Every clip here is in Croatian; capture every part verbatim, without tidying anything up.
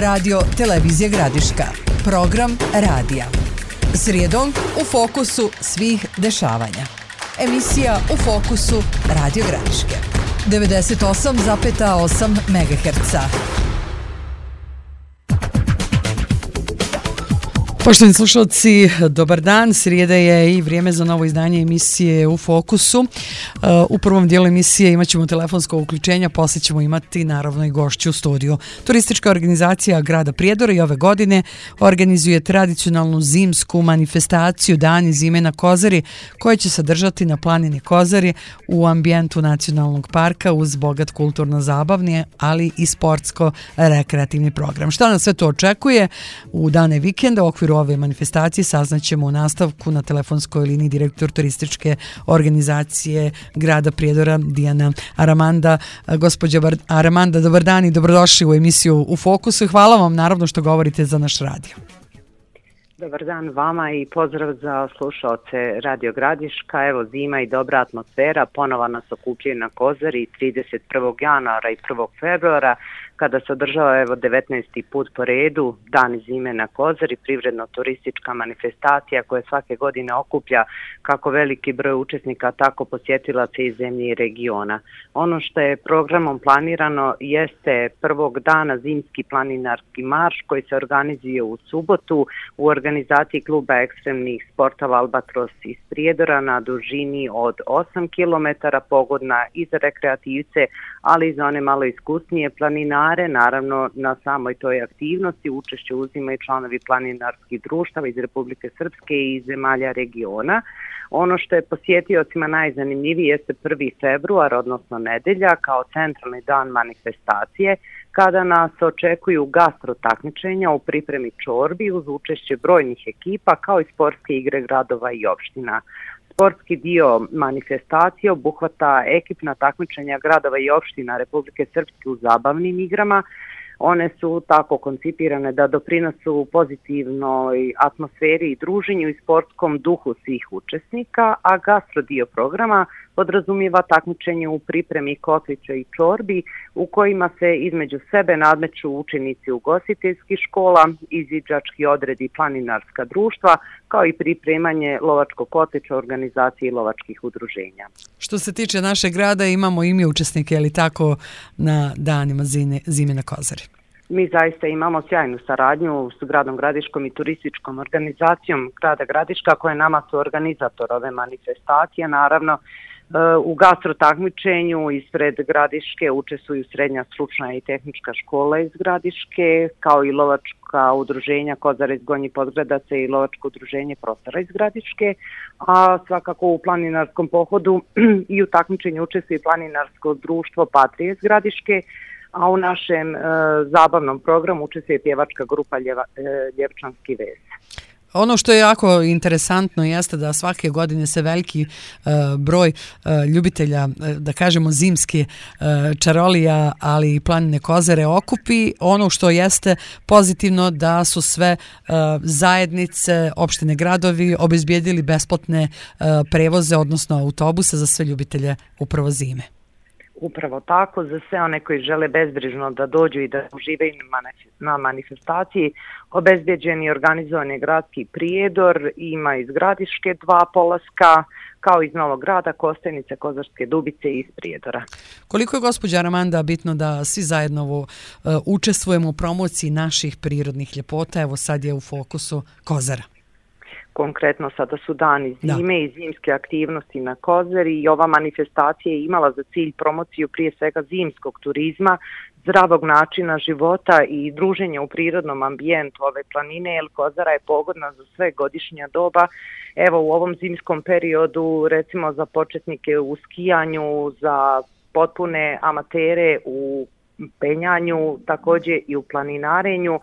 Radio Televizija Gradiška. Program radija. Srijedom u fokusu svih dešavanja. Emisija U fokusu Radio Gradiške. devedeset osam zarez osam megaherca. Poštovani slušalci, dobar dan. Srijeda je i vrijeme za novo izdanje emisije U fokusu. U prvom dijelu emisije imat ćemo telefonsko uključenje, poslije ćemo imati naravno i gošću u studiju. Turistička organizacija grada Prijedora i ove godine organizuje tradicionalnu zimsku manifestaciju Dani zime na Kozari, koja će se držati na planini Kozari u ambijentu nacionalnog parka uz bogat kulturno-zabavni, ali i sportsko-rekreativni program. Šta nas sve to očekuje u dane vikenda u okviru ove manifestacije saznaćemo u nastavku na telefonskoj liniji direktor turističke organizacije grada Prijedora Dijana Aramanda. Gospođa Aramanda, dobar dan i dobrodošli u emisiju U fokusu. Hvala vam naravno što govorite za naš radio. Dobar dan vama i pozdrav za slušaoce Radio Gradiška. Evo, zima i dobra atmosfera ponovo nas okupljaju na Kozari trideset prvog januara i prvog februara, kada se održava evo devetnaesti put po redu Dan zime na Kozari, privredno-turistička manifestacija koja svake godine okuplja kako veliki broj učesnika, tako posjetilaca iz zemlje i regiona. Ono što je programom planirano jeste prvog dana zimski planinarski marš koji se organizuje u subotu u organizaciji kluba ekstremnih sportova Albatros iz Prijedora na dužini od osam kilometara, pogodna i za rekreativce, ali i za one malo iskusnije planinare. Naravno, na samoj toj aktivnosti učešće uzimaju članovi planinarskih društava iz Republike Srpske i iz zemalja regiona. Ono što je posjetiocima najzanimljivije jeste prvi februar, odnosno nedelja, kao centralni dan manifestacije, kada nas očekuju gastro takmičenja u pripremi čorbi uz učešće brojnih ekipa, kao i sportske igre gradova i opština. Sportski dio manifestacije obuhvata ekipna takmičenja gradova i opština Republike Srpske u zabavnim igrama. One su tako koncipirane da doprinosu pozitivnoj atmosferi i druženju i sportskom duhu svih učesnika, a gastro dio programa podrazumijeva takmičenje u pripremi kotlića i čorbi u kojima se između sebe nadmeću učenici ugostiteljskih škola, izviđački odredi i planinarska društva, kao i pripremanje lovačkog kotlića organizacije lovačkih udruženja. Što se tiče našeg grada, imamo i mi učesnike, je li tako, na danima zime, zime na Kozari? Mi zaista imamo sjajnu saradnju s gradom Gradiškom i turističkom organizacijom grada Gradiška, koja je nama su organizator ove manifestacije. Naravno, u gastro takmičenju ispred Gradiške učestvuju srednja stručna i tehnička škola iz Gradiške, kao i lovačka udruženja Kozara iz Gornjih Podgradaca i lovačko udruženje Prostora iz Gradiške, a svakako u planinarskom pohodu i u takmičenju učestvuje planinarsko društvo Patrije iz Gradiške, a u našem e, zabavnom programu učestvuje pjevačka grupa Ljeva, e, Ljevčanski vez. Ono što je jako interesantno jeste da svake godine se veliki uh, broj uh, ljubitelja, uh, da kažemo zimske uh, čarolija, ali i planine Kozare okupi. Ono što jeste pozitivno da su sve uh, zajednice, opštine, gradovi obezbijedili besplatne uh, prevoze, odnosno autobuse za sve ljubitelje upravo zime. Upravo tako, za sve one koji žele bezbrižno da dođu i da uživaju na manifestaciji, obezbeđen i organizovan je gradski Prijedor, ima iz Gradiške dva polaska, kao iz Novog Grada, Kostajnice, Kozarske Dubice i iz Prijedora. Koliko je, gospođa Aramanda, bitno da svi zajedno uh, učestvujemo u promociji naših prirodnih ljepota? Evo sad je u fokusu Kozara. Konkretno sada su dani zime da. i zimske aktivnosti na Kozari i ova manifestacija je imala za cilj promociju prije svega zimskog turizma, zdravog načina života i druženja u prirodnom ambijentu ove planine, jer Kozara je pogodna za sve godišnja doba. Evo u ovom zimskom periodu, recimo za početnike u skijanju, za potpune amatere u penjanju, također i u planinarenju,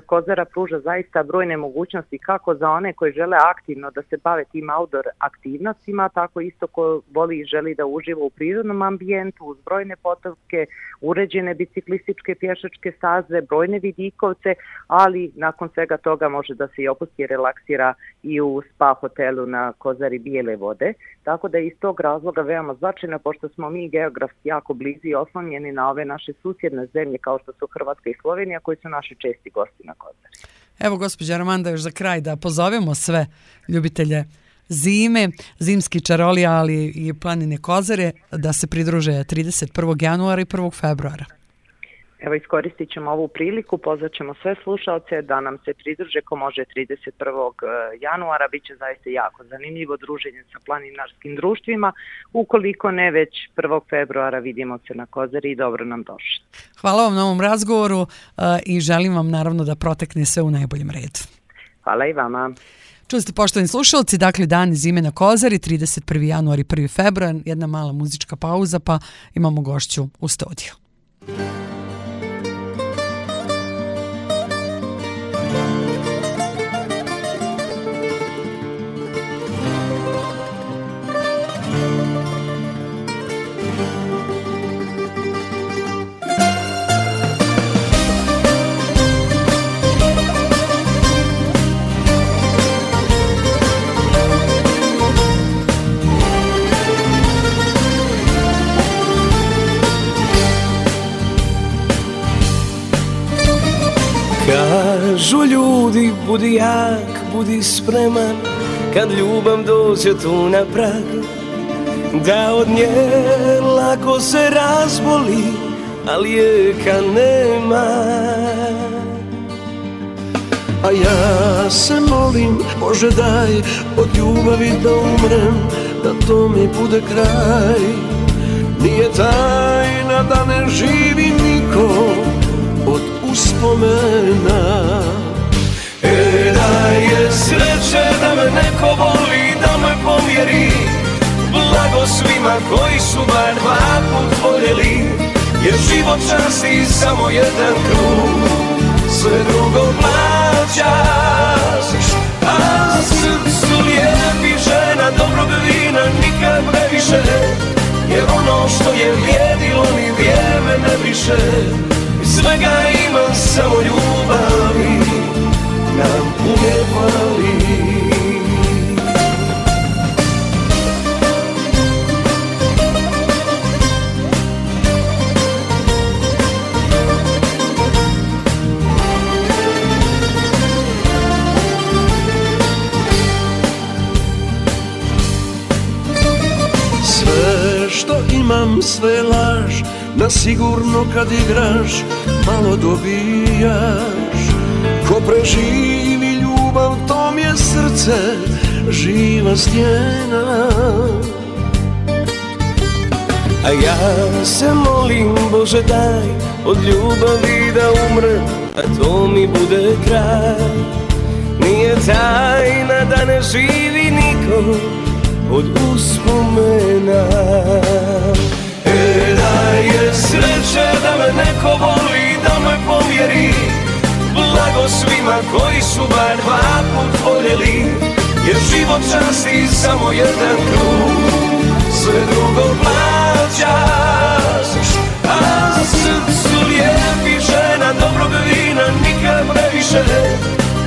Kozara pruža zaista brojne mogućnosti kako za one koji žele aktivno da se bave tim outdoor aktivnostima, tako isto ko voli i želi da uživa u prirodnom ambijentu, uz brojne potoke, uređene biciklističke pješačke staze, brojne vidikovce, ali nakon svega toga može da se i opusti i relaksira i u spa hotelu na Kozari Bijele vode. Tako da je iz tog razloga veoma značajno, pošto smo mi geografski jako blizu i oslonjeni na ove naše susjedne zemlje kao što su Hrvatska i Slovenija, koji su naši česti gosti na Kozari. Evo, gospođa Armanda, još za kraj da pozovemo sve ljubitelje zime, zimski čarolija, ali i planine Kozare da se pridruže trideset prvog januara i prvog februara. Evo, iskoristit ćemo ovu priliku, pozvat ćemo sve slušalce da nam se pridruže ko može trideset prvog januara. Biće zaista jako zanimljivo druženje sa planinarskim društvima. Ukoliko ne, već prvog februara vidimo se na Kozari i dobro nam došli. Hvala vam na ovom razgovoru i želim vam naravno da protekne sve u najboljem redu. Hvala i vama. Čuli ste, poštovani slušalci, dakle dani zime na Kozari, trideset prvog januara i prvi februar, jedna mala muzička pauza, pa imamo gošću u studiju. Kažu ljudi, budi jak, budi spreman, kad ljubav dođe tu na prag, da od nje lako se razboli, a lijeka nema. A ja se molim, Bože daj, od ljubavi da umrem, da to mi bude kraj. Nije tajna da ne živi niko od uspomena. E da je sreće da me neko voli, da me pomjeri, blago svima koji su bar dva put voljeli, jer život časti samo jedan krug, sve drugo plaćaš. A srcu lijepi žena dobrog vina nikad previše, jer ono što je vrijedilo ni vrijeme ne briše. Svega ima samo ljubavi, nam uvijek fali. Sve što imam, sve laž, na sigurno kad igraš malo dobijaš. Ko preživi ljubav, tom je srce živa stijena. A ja se molim, Bože daj, od ljubavi da umrem, a to mi bude kraj. Nije tajna da ne živi niko od uspomena. E da je sreće da me neko voli, da me pomjeri, blago svima koji su bar dva put voljeli, jer život časti samo jedan krug, sve drugo plaćaš. A srcu lijepi žena dobrog vina nikad previše,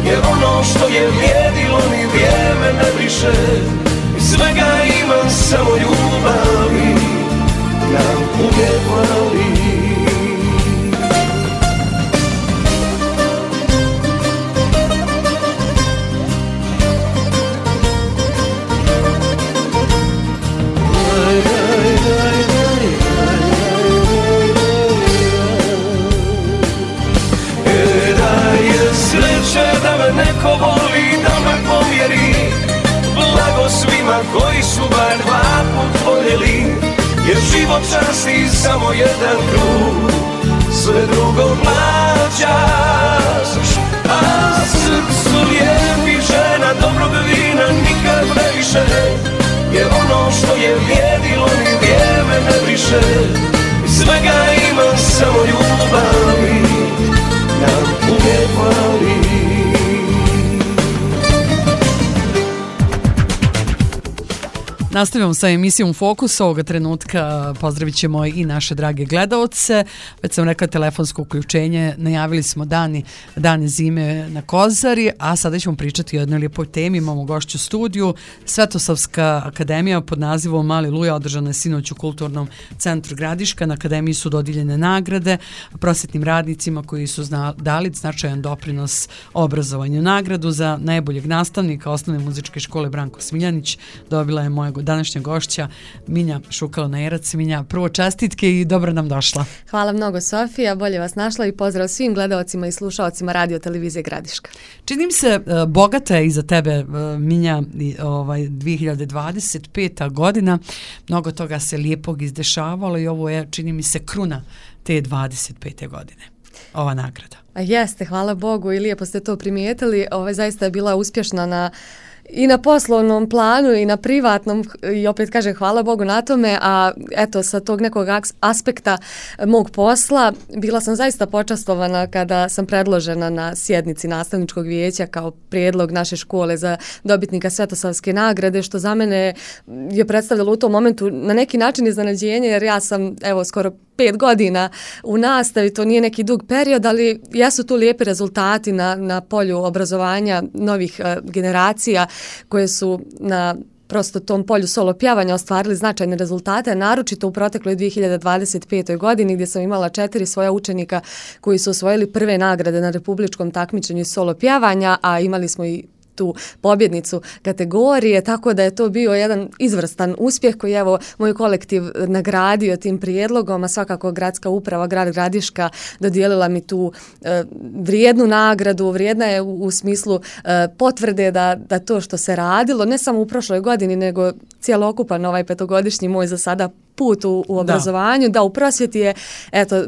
jer ono što je vrijedilo ni vrijeme ne briše. Svega ima samo ljubavi, nam uvijek fali. E da je sreće da me neko voli, da me pomjeri, blago svima koji su bar dva put voljeli, jer život časti samo jedan krug, sve drugo plaćaš. A srcu lijepi žena dobrog vina nikad previše, jer ono što je vrijedilo ni vrijeme ne briše. Svega ima samo ljubavi, nam uvijek fali. Nastavljamo sa emisijom Fokus. Ovoga trenutka pozdravit ćemo i naše drage gledaoce. Već sam rekla telefonsko uključenje. Najavili smo dani, dane zime na Kozari, a sada ćemo pričati o jednoj lijepoj temi. Imamo gošću studiju. Svetosavska akademija pod nazivom Mali Luja održana je sinoć u Kulturnom centru Gradiška. Na akademiji su dodijeljene nagrade prosvetnim radnicima koji su zna, dali značajan doprinos obrazovanju. Nagradu za najboljeg nastavnika Osnovne muzičke škole Branko Smiljanić dobila je moja današnja gošća Minja Šukalo-Nerac. Minja, prvo čestitke i dobro nam došla. Hvala mnogo, Sofija, bolje vas našla i pozdrav svim gledaocima i slušaocima radio televizije Gradiška. Čini mi se uh, bogata je iza tebe, uh, Minja, ovaj, dvije hiljade dvadeset peta godina. Mnogo toga se lijepog izdešavalo i ovo je, čini mi se, kruna te dvadeset pete godine. Ova nagrada. A jeste, hvala Bogu i lijepo ste to primijetili. Ovo zaista je bila uspješna na i na poslovnom planu i na privatnom i opet kažem hvala Bogu na tome, a eto sa tog nekog aspekta mog posla bila sam zaista počastovana kada sam predložena na sjednici nastavničkog vijeća kao prijedlog naše škole za dobitnika Svetosavske nagrade, što za mene je predstavljalo u tom momentu na neki način iznenađenje, jer ja sam evo skoro pet godina u nastavi, to nije neki dug period, ali jesu tu lijepi rezultati na, na polju obrazovanja novih uh, generacija koje su na prosto tom polju solo pjevanja ostvarili značajne rezultate, naročito u protekloj dvije hiljade dvadeset petoj godini gdje sam imala četiri svoja učenika koji su osvojili prve nagrade na republičkom takmičenju solo pjevanja, a imali smo i tu pobjednicu kategorije, tako da je to bio jedan izvrstan uspjeh koji je evo moj kolektiv nagradio tim prijedlogom, a svakako gradska uprava, grad Gradiška dodijelila mi tu e, vrijednu nagradu, vrijedna je u, u smislu e, potvrde da, da to što se radilo, ne samo u prošloj godini, nego cijelokupan ovaj petogodišnji moj za sada put u, u obrazovanju, da. da u prosvjeti je eto,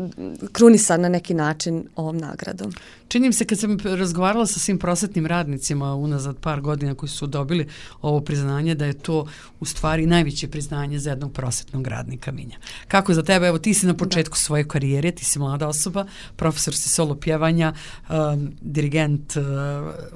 krunisan na neki način ovom nagradom. Čini mi se kad sam razgovarala sa svim prosvetnim radnicima unazad par godina koji su dobili ovo priznanje, da je to u stvari najveće priznanje za jednog prosvetnog radnika, Minja. Kako za tebe? Evo ti si na početku da. svoje karijere, ti si mlada osoba, profesor si solo pjevanja, um, dirigent uh,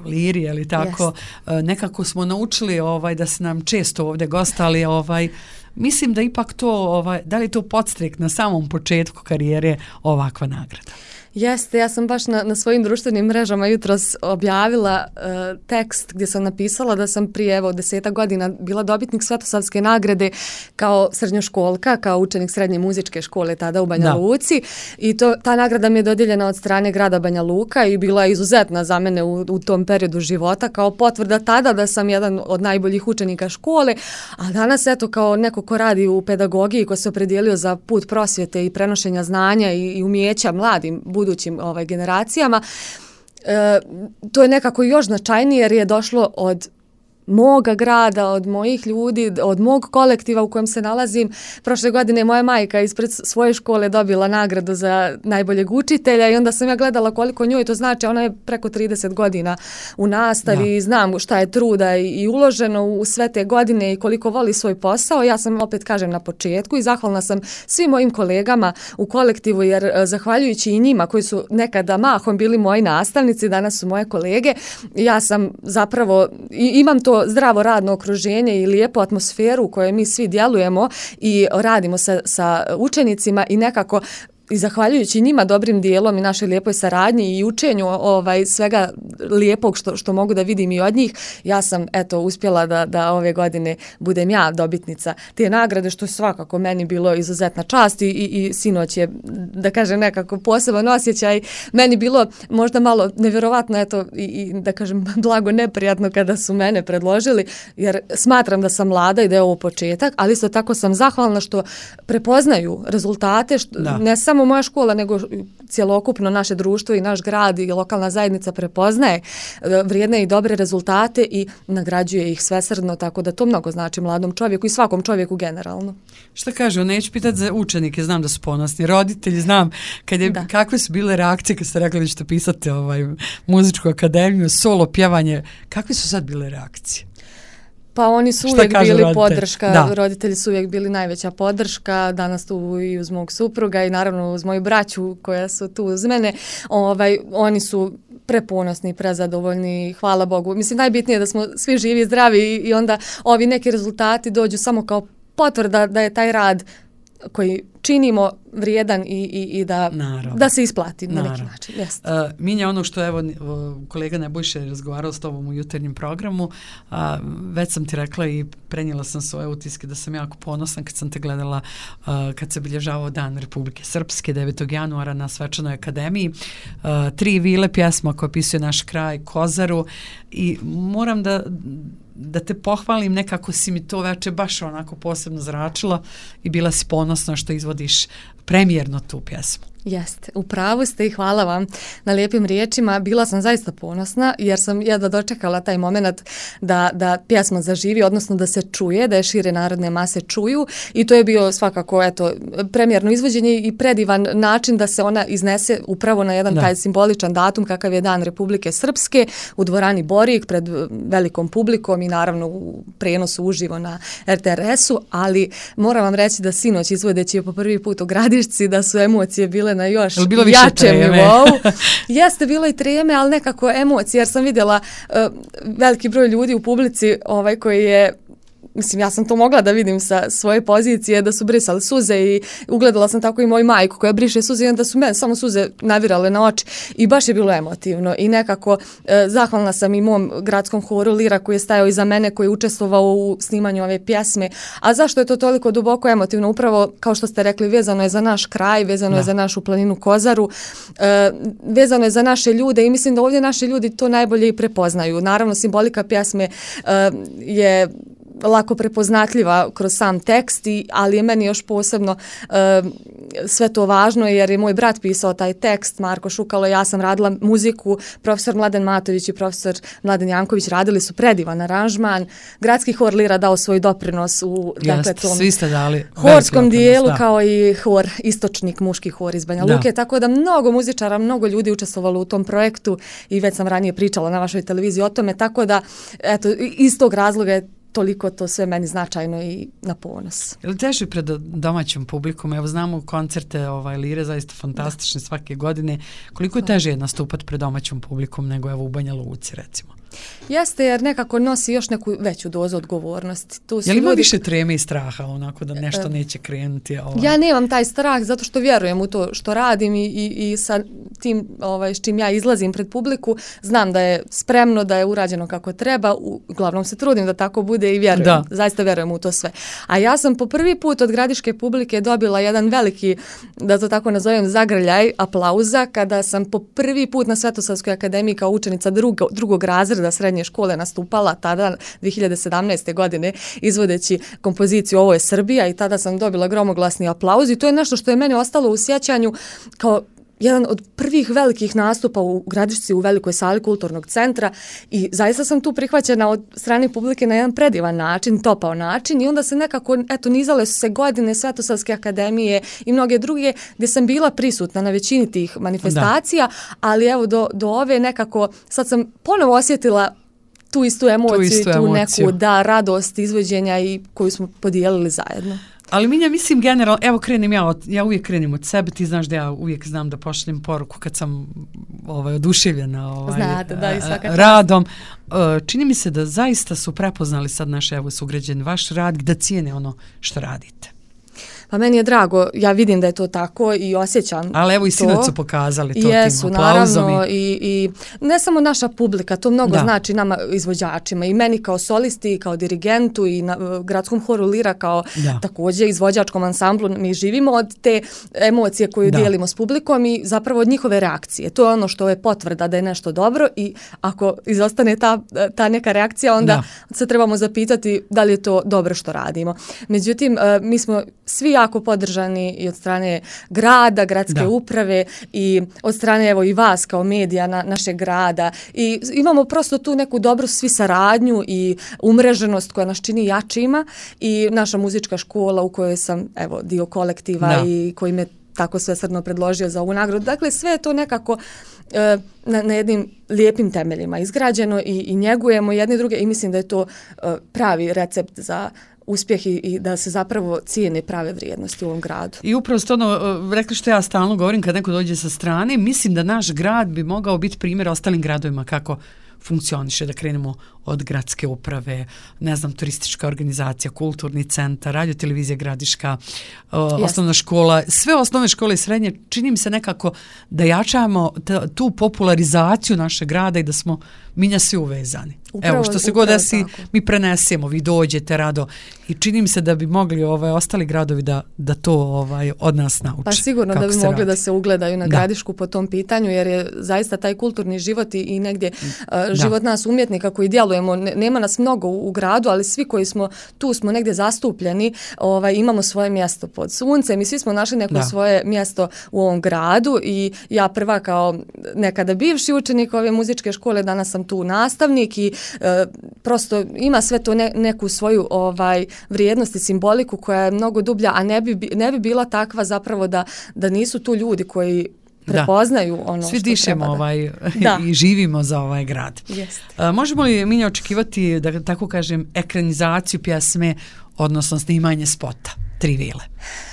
liri, ali tako. Uh, nekako smo naučili ovaj, da se nam često ovdje gostali, ovaj, mislim da ipak to, ovaj, da li je to podstrek na samom početku karijere ovakva nagrada? Jeste, ja sam baš na, na svojim društvenim mrežama jutros objavila uh, tekst gdje sam napisala da sam prije evo desetak godina bila dobitnik Svetosavske nagrade kao srednjoškolka, kao učenik srednje muzičke škole tada u Banja da. Luci i to, ta nagrada mi je dodijeljena od strane grada Banja Luka i bila je izuzetna za mene u, u tom periodu života kao potvrda tada da sam jedan od najboljih učenika škole, a danas eto kao neko ko radi u pedagogiji, ko se opredijelio za put prosvjete i prenošenja znanja i, i umjeća mladim budućim ovaj, generacijama. E, to je nekako još značajnije jer je došlo od moga grada, od mojih ljudi, od mog kolektiva u kojem se nalazim. Prošle godine moja majka ispred svoje škole dobila nagradu za najboljeg učitelja i onda sam ja gledala koliko njoj to znači. Ona je preko trideset godina u nastavi i znam šta je truda i, i uloženo u sve te godine i koliko voli svoj posao. Ja sam opet kažem na početku i zahvalna sam svim mojim kolegama u kolektivu jer zahvaljujući i njima koji su nekada mahom bili moji nastavnici, danas su moje kolege, ja sam zapravo i, imam to zdravo radno okruženje i lijepu atmosferu u kojoj mi svi djelujemo i radimo sa, sa učenicima i nekako i zahvaljujući njima dobrim dijelom i našoj lijepoj saradnji i učenju ovaj svega lijepog što što mogu da vidim i od njih, ja sam eto uspjela da da ove godine budem ja dobitnica te nagrade, što je svakako meni bilo izuzetna čast i, i, i sinoć je, da kažem, nekako poseban osjećaj. Meni bilo možda malo nevjerovatno eto i, i da kažem blago neprijatno kada su mene predložili, jer smatram da sam mlada i da je ovo početak, ali isto tako sam zahvalna što prepoznaju rezultate, što da. ne samo moja škola, nego cjelokupno naše društvo i naš grad i lokalna zajednica prepoznaje vrijedne i dobre rezultate i nagrađuje ih svesrdno, tako da to mnogo znači mladom čovjeku i svakom čovjeku generalno. Šta kaže, neću pitati za učenike, znam da su ponosni, roditelji, znam kad je, kakve su bile reakcije kad ste rekli da ćete pisati ovaj, muzičku akademiju, solo pjevanje, kakve su sad bile reakcije? Pa oni su uvijek bili roditelj? podrška, da. roditelji su uvijek bili najveća podrška, danas tu i uz mog supruga i naravno uz moju braću koja su tu uz mene, ovaj, oni su preponosni, prezadovoljni, hvala Bogu. Mislim, najbitnije je da smo svi živi i zdravi i, i onda ovi neki rezultati dođu samo kao potvrda da je taj rad koji činimo vrijedan i, i, i da, da se isplati na neki način. Uh, Minja, ono što evo kolega Nebojša je razgovarao s tobom u jutarnjem programu, uh, već sam ti rekla i prenijela sam svoje utiske da sam jako ponosna kad sam te gledala uh, kad se obilježavao Dan Republike Srpske devetog januara na Svečanoj akademiji. Uh, tri vile pjesma koja opisuje naš kraj, Kozaru, i moram da da te pohvalim, nekako si mi to veče baš onako posebno zračila i bila si ponosna što izvodiš premijerno tu pjesmu. Jeste, u pravu ste i hvala vam na lijepim riječima. Bila sam zaista ponosna jer sam jedva dočekala taj moment da, da pjesma zaživi, odnosno da se čuje, da je šire narodne mase čuju, i to je bio svakako eto, premijerno izvođenje i predivan način da se ona iznese upravo na jedan da. taj simboličan datum kakav je Dan Republike Srpske u dvorani Borik pred velikom publikom i naravno u prenosu uživo na er te er esu, ali moram vam reći da sinoć izvodeći po prvi put u Gradišci da su emocije bile na još jačem nivou. Jeste, bilo i treme, ali nekako emocije, jer sam vidjela uh, veliki broj ljudi u publici ovaj, koji je, mislim, ja sam to mogla da vidim sa svoje pozicije, da su brisali suze i ugledala sam tako i moju majku koja briše suze i onda su mene samo suze navirale na oči i baš je bilo emotivno i nekako e, zahvalna sam i mom gradskom horu Lira koji je stajao iza mene, koji je učestvovao u snimanju ove pjesme. A zašto je to toliko duboko emotivno? Upravo, kao što ste rekli, vezano je za naš kraj, vezano da. je za našu planinu Kozaru, e, vezano je za naše ljude i mislim da ovdje naši ljudi to najbolje i prepoznaju. Naravno, simbolika pjesme e, je lako prepoznatljiva kroz sam tekst, i, ali je meni još posebno uh, sve to važno jer je moj brat pisao taj tekst, Marko Šukalo, ja sam radila muziku, profesor Mladen Matović i profesor Mladen Janković radili su predivan aranžman, gradski hor Lira dao svoj doprinos u Jest, dakle, tom svi ste dali horskom dijelu, da. kao i hor, istočnik, muški hor iz Banja Luke, tako da mnogo muzičara, mnogo ljudi učestvovalo u tom projektu i već sam ranije pričala na vašoj televiziji o tome, tako da eto, iz tog razloga je toliko to sve meni značajno i na ponos. Je li teže pred domaćom publikom? Evo znamo koncerte ovaj, Lire, zaista fantastične svake godine. Koliko je teže nastupati pred domaćom publikom nego evo u Banja Luci, recimo? Jeste, jer nekako nosi još neku veću dozu odgovornosti. Tu je li ima ljudi... više treme i straha, onako da nešto neće krenuti? Ovaj? Ja nemam taj strah zato što vjerujem u to što radim i, i, i sa tim ovaj, s čim ja izlazim pred publiku, znam da je spremno, da je urađeno kako treba, uglavnom se trudim da tako bude i vjerujem, da. zaista vjerujem u to sve. A ja sam po prvi put od gradiške publike dobila jedan veliki, da to tako nazovem, zagrljaj aplauza kada sam po prvi put na Svetosavskoj akademiji kao učenica drugo, drugog razreda srednje škole nastupala tada dvije hiljade sedamnaeste. godine izvodeći kompoziciju Ovo je Srbija, i tada sam dobila gromoglasni aplauz i to je nešto što je meni ostalo u sjećanju kao jedan od prvih velikih nastupa u Gradišci u velikoj sali kulturnog centra i zaista sam tu prihvaćena od strane publike na jedan predivan način, topao način, i onda se nekako, eto, nizale su se godine Svetosavske akademije i mnoge druge gdje sam bila prisutna na većini tih manifestacija, da. ali evo do, do ove nekako, sad sam ponovo osjetila tu istu emociju, tu istu tu emociju. neku da, radost izvođenja i koju smo podijelili zajedno. Ali Minja, mislim generalno, evo krenem ja, od, ja uvijek krenem od sebe, ti znaš da ja uvijek znam da pošaljem poruku kad sam ovaj, oduševljena ovaj, Znate, da, i radom. Čini mi se da zaista su prepoznali sad naše evo sugrađani vaš rad, da cijene ono što radite. Pa meni je drago, ja vidim da je to tako i osjećam. Ali evo i sinoć su pokazali to Jesu, tim aplauzom. Naravno, i, i ne samo naša publika, to mnogo da. znači nama izvođačima, i meni kao solisti, i kao dirigentu, i na gradskom horu Lira kao da. također izvođačkom ansamblu. Mi živimo od te emocije koju da. dijelimo s publikom i zapravo od njihove reakcije. To je ono što je potvrda da je nešto dobro, i ako izostane ta, ta neka reakcija, onda da. se trebamo zapitati da li je to dobro što radimo. Međutim, mi smo svi jako podržani i od strane grada, gradske da. uprave, i od strane evo i vas kao medija na, našeg grada, i imamo prosto tu neku dobru svi saradnju i umreženost koja nas čini jačima, i naša muzička škola u kojoj sam evo dio kolektiva da. i koji me tako svesrdno predložio za ovu nagradu. Dakle, sve je to nekako e, na, na jednim lijepim temeljima izgrađeno i, i njegujemo jedni druge, i mislim da je to e, pravi recept za uspjeh i, i da se zapravo cijene prave vrijednosti u ovom gradu. I upravo ste ono, rekli što ja stalno govorim kad neko dođe sa strane, mislim da naš grad bi mogao biti primjer ostalim gradovima kako funkcioniše, da krenemo od gradske uprave, ne znam, turistička organizacija, kulturni centar, radio televizija gradiška, uh, osnovna škola, sve osnovne škole i srednje, čini mi se nekako da jačamo t- tu popularizaciju našeg grada i da smo minja svi uvezani. Upravo, Evo, što se god desi, tako. Mi prenesemo, vi dođete rado i čini mi se da bi mogli ovaj, ostali gradovi da, da to ovaj, od nas nauče. Pa sigurno da bi mogli radi. Da se ugledaju na da. Gradišku po tom pitanju, jer je zaista taj kulturni život i, i negdje uh, život nas umjetnika koji djelujemo, ne, nema nas mnogo u, u gradu, ali svi koji smo tu smo negdje zastupljeni, ovaj, imamo svoje mjesto pod suncem i svi smo našli neko da. Svoje mjesto u ovom gradu i ja prva kao nekada bivši učenik ove muzičke škole, danas sam tu nastavnik i E, prosto ima sve to ne, neku svoju ovaj vrijednost i simboliku koja je mnogo dublja, a ne bi, ne bi bila takva zapravo da, da nisu tu ljudi koji prepoznaju da. Ono Svi što dišemo treba da. Ovaj, i živimo za ovaj grad. A, možemo li mi očekivati, da tako kažem, ekranizaciju pjesme, odnosno snimanje spota Tri vile?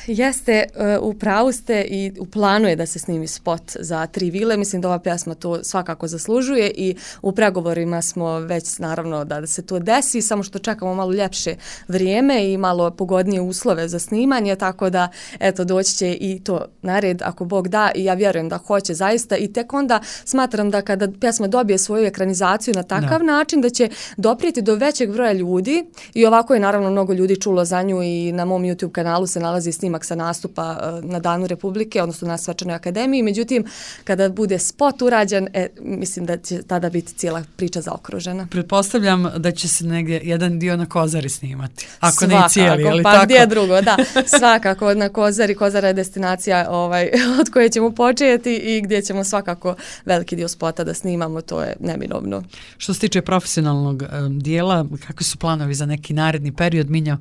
Jeste, u pravu ste i u planu je da se snimi spot za Tri vile. Mislim da ova pjesma to svakako zaslužuje i u pregovorima smo već naravno da, da se to desi, samo što čekamo malo ljepše vrijeme i malo pogodnije uslove za snimanje, tako da eto doći će i to na red ako Bog da i ja vjerujem da hoće zaista i tek onda smatram da kada pjesma dobije svoju ekranizaciju na takav da. Način da će doprijeti do većeg broja ljudi i ovako je naravno mnogo ljudi čulo za nju i na mom YouTube kanalu se nalazi snimak sa nastupa na Danu Republike, odnosno na Svečanoj akademiji. Međutim, kada bude spot urađen, e, mislim da će tada biti cijela priča zaokružena. Pretpostavljam da će se negdje jedan dio na Kozari snimati. Ako svakako, ne cijeli, ali pa tako? Gdje drugo, da. Svakako na Kozari. Kozara je destinacija ovaj, od koje ćemo početi i gdje ćemo svakako veliki dio spota da snimamo, to je neminovno. Što se tiče profesionalnog um, dijela, kakvi su planovi za neki naredni period, Minjo?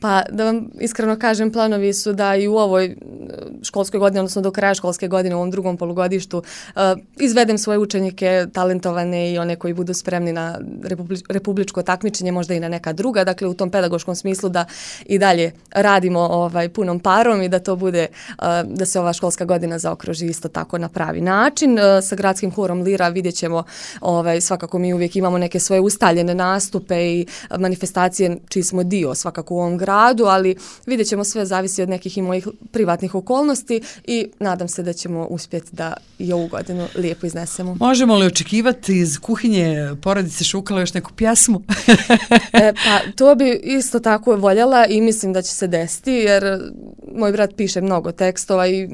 Pa da vam iskreno kažem, planovi su da i u ovoj školskoj godini, odnosno do kraja školske godine, u ovom drugom polugodištu, uh, izvedem svoje učenike talentovane i one koji budu spremni na republič, republičko takmičenje, možda i na neka druga, dakle u tom pedagoškom smislu da i dalje radimo ovaj, punom parom i da to bude, uh, da se ova školska godina zaokruži isto tako na pravi način. Uh, sa gradskim horom Lira vidjet ćemo, ovaj, svakako mi uvijek imamo neke svoje ustaljene nastupe i manifestacije čiji smo dio svakako u ovom gradu, ali vidjet ćemo, sve zavisi od nekih i mojih privatnih okolnosti i nadam se da ćemo uspjeti da i ovu godinu lijepo iznesemo. Možemo li očekivati iz kuhinje porodice Šukalo još neku pjesmu? e, pa to bi isto tako voljela i mislim da će se desiti, jer moj brat piše mnogo tekstova i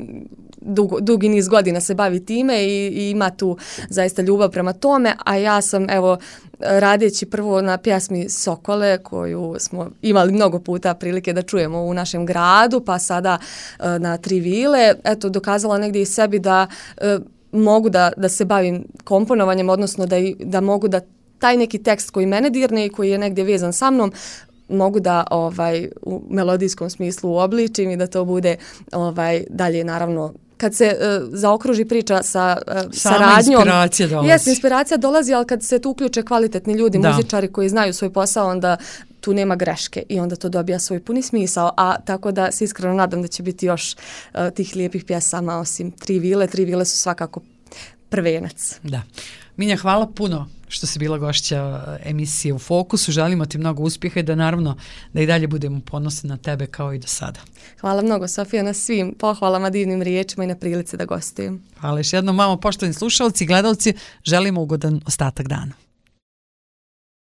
Dugo, dugi niz godina se bavi time i, i ima tu zaista ljubav prema tome, a ja sam evo radeći prvo na pjesmi Sokole koju smo imali mnogo puta prilike da čujemo u našem gradu, pa sada uh, na Tri vile, eto dokazala negdje i sebi da uh, mogu da, da se bavim komponovanjem, odnosno da, da mogu da taj neki tekst koji mene dirne i koji je negdje vezan sa mnom mogu da ovaj u melodijskom smislu uobličim i da to bude ovaj dalje naravno kad se uh, zaokruži priča sa uh, saradnjom. Inspiracija dolazi. Jes, inspiracija dolazi, ali kad se tu uključe kvalitetni ljudi, da. Muzičari koji znaju svoj posao, onda tu nema greške i onda to dobija svoj puni smisao. A tako da se iskreno nadam da će biti još uh, tih lijepih pjesama osim Tri vile. Tri vile su svakako prvenac. Da. Minja, hvala puno što si bila gošća emisije U fokusu. Želimo ti mnogo uspjeha i da naravno da i dalje budemo ponosni na tebe kao i do sada. Hvala mnogo, Sofija, na svim pohvalama, divnim riječima i na prilici da gostujem. Hvala još jednom, mamo, poštovani slušalci i gledalci, želimo ugodan ostatak dana.